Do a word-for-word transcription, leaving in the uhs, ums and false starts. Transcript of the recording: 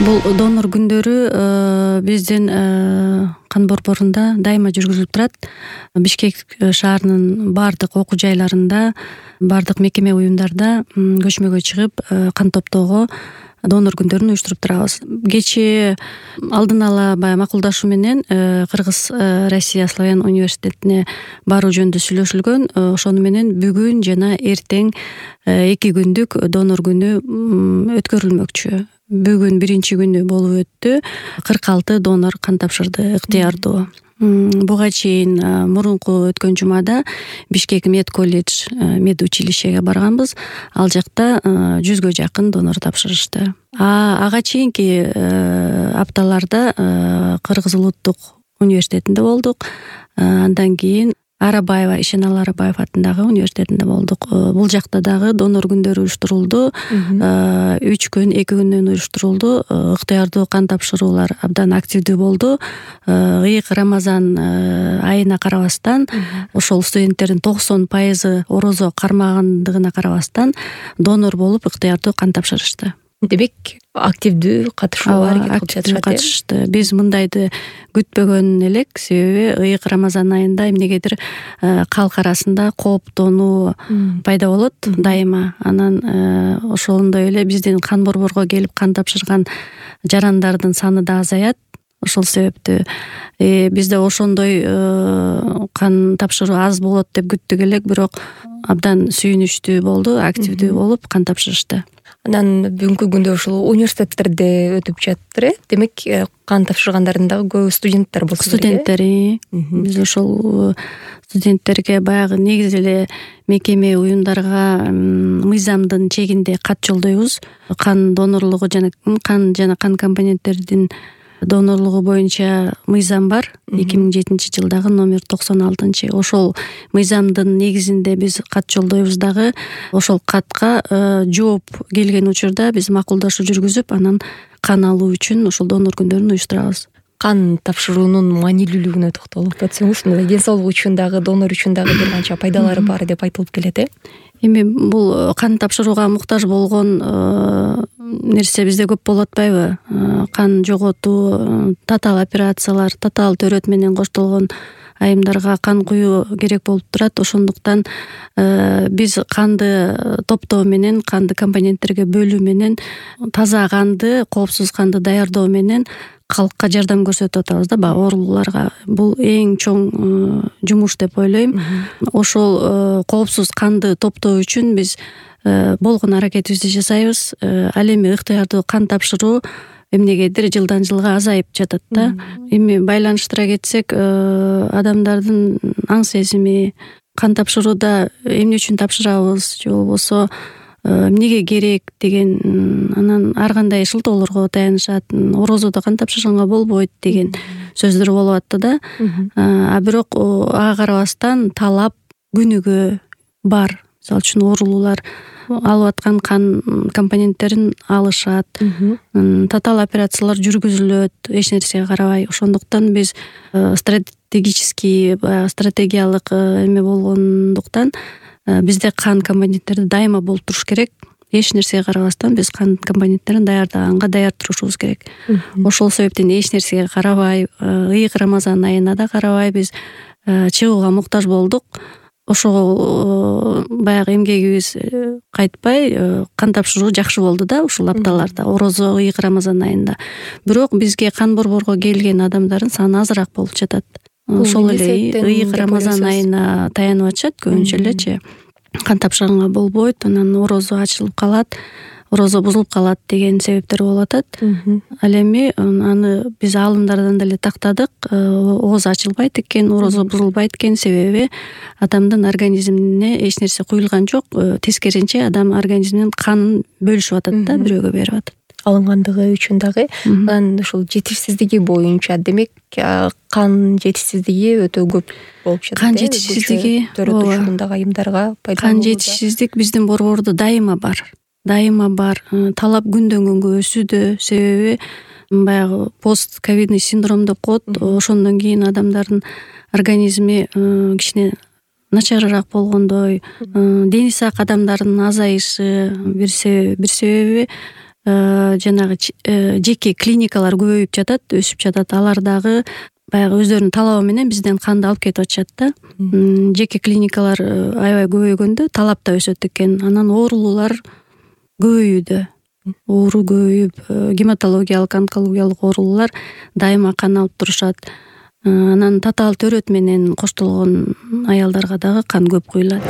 Бул донор күндөрү биздин кан борборунда дайыма жүргүзүлүп турат. Бишкек шаарынын баардык окуу жайларында, баардык мекеме уюмдарда көчмөгө чыгып кан топтоого донор күндөрүн уюштуруп турабыз. Кечээ алдын ала баягы макулдашуу менен Кыргыз Россия славян университетине баруу жөнүндө сүйлөшүлгөн. Ошону менен бүгүн жана эртең эки күндүк донор күнү өткөрүлмөкчү. Бүгүн биринчи күнү болуп өттү. кырк алты донор кан тапшырды, ыктыярдуу. Буга чейин мурунку өткөн жумада Бишкек мед колледж, мед училищеге барганбыз. Ал жакта жүзгө жакын донор тапшырышты. А ага чейинки апталарда Кыргыз улуттук университетинде болдук. Андан кийин Арабаева, Ишеналы Арабаев атындагы университетинде болдук. Бул жакта дагы донор күндөрү уюштурулду. үч күн, эки күндөн уюштурулду. Ыктыярдуу кан тапшыруулар абдан активдүү болду. Ыйык Рамазан айына карабастан, ошол студенттердин токсон пайызы орозо кармагандыгына карабастан донор болуп ыктыярдуу кан тапшырышты. Демек, активдүү катышуулар активдүү катышты. Биз мындайды күтпөгөн элек, себеби ыйык Рамазан айында эмнегедир калк арасында кооптонуу пайда болот дайыма. Анан ошондой эле биздин кан борборго келип кан тапшырган жарандардын саны да азаят. Ошол себептүү бизде ошондой кан тапшыруу аз болот деп күттүк элек, бирок абдан сүйүнүчтүү болду, активдүү болуп кан тапшырышты. Анан бүгүнкү күндө ушул университеттерде өтүп жатыр э. Демек, кан тапшыргандардын дагы көбү студенттер болсо керек. Студенттер. Биз ошол студенттерге баягы негизи эле мекеме уюмдарга мыйзамдын чегинде кат жолдойбуз. Кан донорлугу жана кан жана кан компоненттердин донорлугу боюнча мыйзам бар. эки миң жетинчи жылдагы номер токсон алтынчы. Ошол мыйзамдын негизинде биз кат жолдойбуз дагы. Ошол катка жооп келген учурда биз макулдашуу жүргүзүп, анан кан алуу үчүн ошол донор күндөрүн уюштурабыз. Кан тапшыруунун маанилүүлүгүнө токтолуп өтсөңүз, мындай ден соолук үчүн дагы, донор үчүн дагы бир канча пайдалары бар деп айтылып келет э. Эми бул кан тапшырууга муктаж болгон нерсе бизде көп болуп атпайбы? Кан жоготуу, татаал операциялар, татаал төрөт менен коштолгон айымдарга кан куюу керек болуп турат. Ошондуктан биз канды топтоо менен, канды компоненттерге бөлүү менен, таза канды, коопсуз канды даярдоо менен калкка жардам көрсөтүп атабыз да, баягы оорулууларга. Бул эң чоң жумуш деп ойлойм. Ошол коопсуз канды топтоо үчүн биз болгон аракетибизди жасайбыз. Ал эми ыктыярдуу кан тапшыруу эмнегедир жылдан жылга азайып жатат да. Эми байланыштыра кетсек, адамдардын аң сезими кан тапшырууда эмне үчүн тапшырабыз, же болбосо эмнеге керек деген, анан ар кандай шылтоолорго таянышат. Орозодо кан тапшырганга болбойт деген сөздөр болуп атты да. А бирок ага карабастан талап күнүгө бар. Мисалы үчүн оорулуулар алып аткан кан компоненттерин алышат. Татаал операциялар жүргүзүлөт, эч нерсеге карабай. Ошондуктан биз стратегический, стратегиялык эме болгондуктан бизде кан компоненттерди дайыма болуп туруш керек. Эч нерсеге карабастан биз кан компоненттерин даярдаганга даяр турушубуз керек. Ошол себептен эч нерсеге карабай, ыйык Рамазан айына да карабай биз чыгууга муктаж болдук. Ошол баягы эмгегибиз кайтпай кан тапшыруу жакшы болду да ушул апталарда, орозо, ыйык Рамазан айында. Бирок бизге кан борборго келген адамдардын саны азыраак болуп жатат. Ошол эле ыйык Рамазан айына таянып атышат көбүнчө элечи. Кан тапшырганга болбойт, анан орозо ачылып калат, орозо бузулуп калат деген себептер болуп атат. Ал эми аны биз аалымдардан деле тактадык. Ооз ачылбайт экен, орозо бузулбайт экен, себеби адамдын организмине эч нерсе куюлган жок. Тескерисинче адам организминин канын бөлүшүп атат да, бирөөгө берип атат. Алынгандыгы үчүн дагы. Анан ушул жетишсиздиги боюнча, демек, кан жетишсиздиги өтө көп болуп жатат. Кан жетишсиздиги төрөтүшүндагы айымдарга пайда болууда. Кан жетишсиздик биздин борбордо дайыма бар. Дайыма бар. Талап күндөн күнгө өсүүдө, себеби баягы пост-ковидный синдром деп коет. Ошондон кийин адамдардын организми кичине начарыраак болгондой, дени сак адамдардын азайышы бир себеби. жанагы жеке клиникалар көбөйүп жатат, өсүп жатат. Алар дагы баягы өздөрүнүн талабы менен бизден канды алып кетип атышат да. Жеке клиникалар аябай көбөйгөндө талап да өсөт экен. Анан оорулуулар көбөйүүдө. Оору көбөйүп, гематологиялык, онкологиялык оорулуулар дайыма кан алып турушат. Анан татаал төрөт менен коштолгон аялдарга дагы кан көп куюлат.